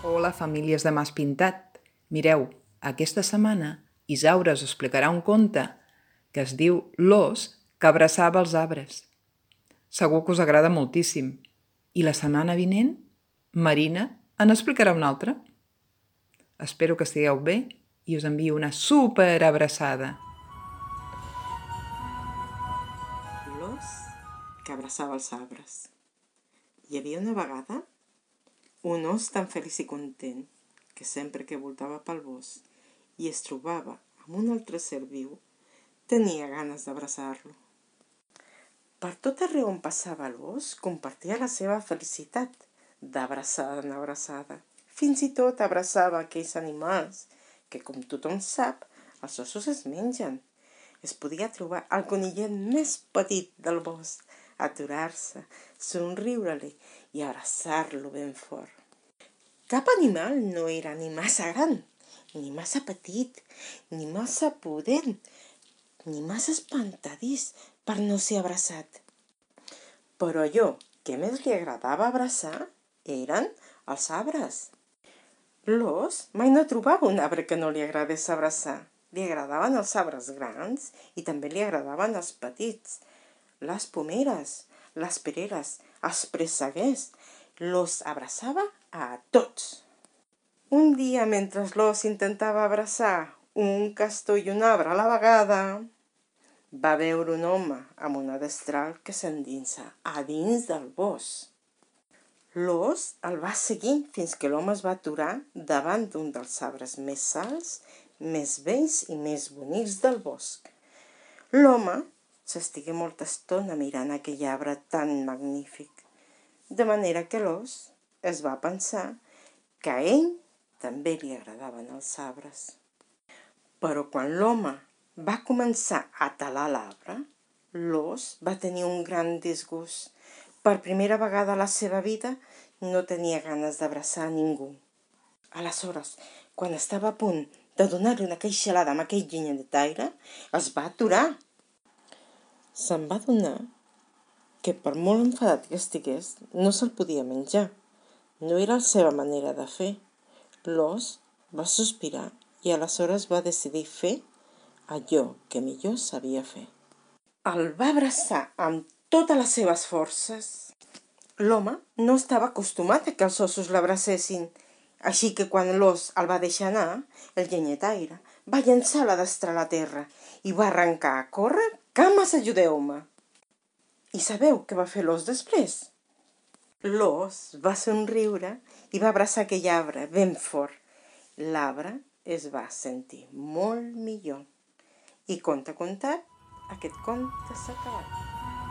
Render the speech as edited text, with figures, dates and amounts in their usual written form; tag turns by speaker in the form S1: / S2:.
S1: Hola, famílies de Mas Pintat. Mireu, aquesta setmana Isaura us explicarà un conte que es diu L'ós que abraçava els arbres. Segur que us agrada moltíssim. I la setmana vinent, Marina en explicarà un altre. Espero que estigueu bé i us envio una super abraçada.
S2: L'ós que abraçava els arbres. Hi havia una vegada un os tan feliç i content que sempre que voltava pel bosc i es trobava amb un altre ser viu, tenia ganes d'abraçar-lo. Per tot arreu on passava l'os, compartia la seva felicitat, d'abraçada en abraçada. Fins i tot abraçava aquells animals que, com tothom sap, els ossos es mengen. Es podia trobar el conillet més petit del bosc, aturar-se, somriure-li i abraçar-lo ben fort. Cap animal no era ni massa gran, ni massa petit, ni massa pudent, ni massa espantadís per no ser abraçat. Però allò que més li agradava abraçar eren els arbres. L'ós mai no trobava un arbre que no li agradés abraçar. Li agradaven els arbres grans i també li agradaven els petits. Les pomeres, les pereres, els presseguers. L'ós abraçava a tots. Un dia, mentre l'ós intentava abraçar un castor i un arbre a la vegada, va veure un home amb una destral que s'endinsa a dins del bosc. L'ós el va seguir fins que l'home es va aturar davant d'un dels arbres més alts, més vells i més bonics del bosc. L'home s'estigué molta estona mirant aquell arbre tan magnífic, de manera que l'ós es va pensar que a ell també li agradaven els arbres. Però quan l'home va començar a talar l'arbre, l'ós va tenir un gran disgust. Per primera vegada a la seva vida no tenia ganes d'abraçar a ningú. Aleshores, quan estava a punt de donar-li una queixalada amb aquell llenyataire, es va aturar. Se'n va adonar que per molt enfadat que estigués, no se'l podia menjar. No era la seva manera de fer. L'ós va sospirar i aleshores va decidir fer allò que millor sabia fer. El va abraçar amb totes les seves forces. L'home no estava acostumat a que els ossos l'abracessin, així que quan l'ós el va deixar anar, el llenyataire va llançar la destral a terra i va arrencar a córrer. Cames, ajudeu-me! I sabeu què va fer l'ós després? L'ós va somriure i va abraçar aquell arbre ben fort. L'arbre es va sentir molt millor. I conte contat, aquest conte s'ha acabat.